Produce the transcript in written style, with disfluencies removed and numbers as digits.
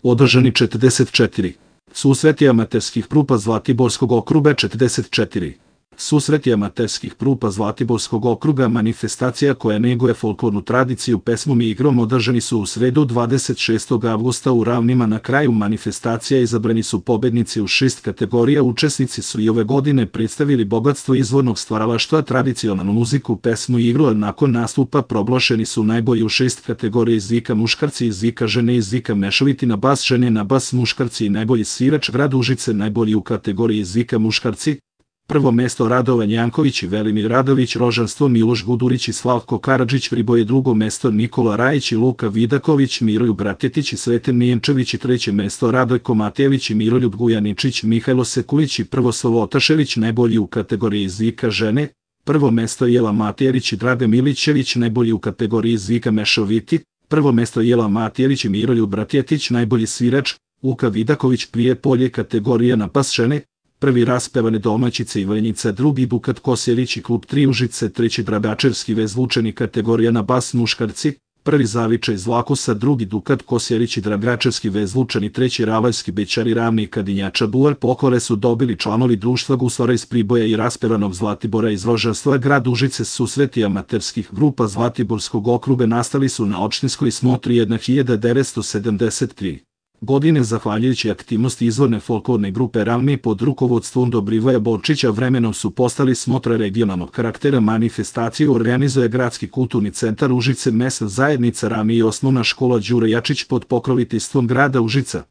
Održani 44. Susreti amaterskih grupa Zlatiborskog okruga 44. Susreti amaterskih grupa Zlatiborskog okruga manifestacija koja neguje folklornu tradiciju pesmom i igrom održani su u sredu 26. avgusta u Ravnima. Na kraju manifestacija izabrani su pobednici u 6 kategorija. Učesnici su i ove godine predstavili bogatstvo izvornog stvaralaštva, tradicionalnu muziku, pesmu i igru, a nakon nastupa proglašeni su najbolji u 6 kategorija: iz vika muškarci, iz vika žene, iz vika mešoviti, na bas žene, na bas muškarci i najbolji svirač grad Užice. Najbolji u kategoriji iz vika muškarci: prvo mesto Radovan Janković i Velimir Radović, Rožanstvo Miloš Gudurić i Slavko Karadžić, Priboje drugo mesto Nikola Rajić i Luka Vidaković, Miroljub Bratetić i Sreten Mijenčević i treće mesto Radojko Matejević i Miroljub Gujaničić, Mihajlo Sekulić i Prvoslav Otašević. Najbolji u kategoriji iz vika žene: prvo mesto Jela Matijerić i Draga Milićević. Najbolji u kategoriji iz vika mešoviti: prvo mesto Jela Matijerić i Miroljub Bratetić. Najbolji svirač: Luka Vidaković. Prijepolje kategorija na bas žene: prvi raspevane domaćice Ivanjica, drugi Dukat Kosjerić i klub 3 Užice, treći Drabačevski vezvučeni kategorija na bas muškarci: prvi Zavičaj iz Vlakusa, drugi Dukat Kosjerić i Drabačevski vezvučeni, treći Ravaljski Bećari Ravni i Kadinjača Buvar. Poklone su dobili članovi društva Guslara iz Priboja i raspevanog Zlatibora iz Rožanstva grad Užice. Susreti amaterskih grupa Zlatiborskog okruga nastali su na opštinskoj smotri 1973. godine zahvaljujući aktivnosti izvorne folklorne grupe Ravni pod rukovodstvom Dobrivoja Borčića. Vremenom su postali smotra regionalnog karaktera. Manifestaciju organizuje Gradski kulturni centar Užice, mesna zajednica Ravni i osnovna škola Đure Jačić pod pokroviteljstvom grada Užica.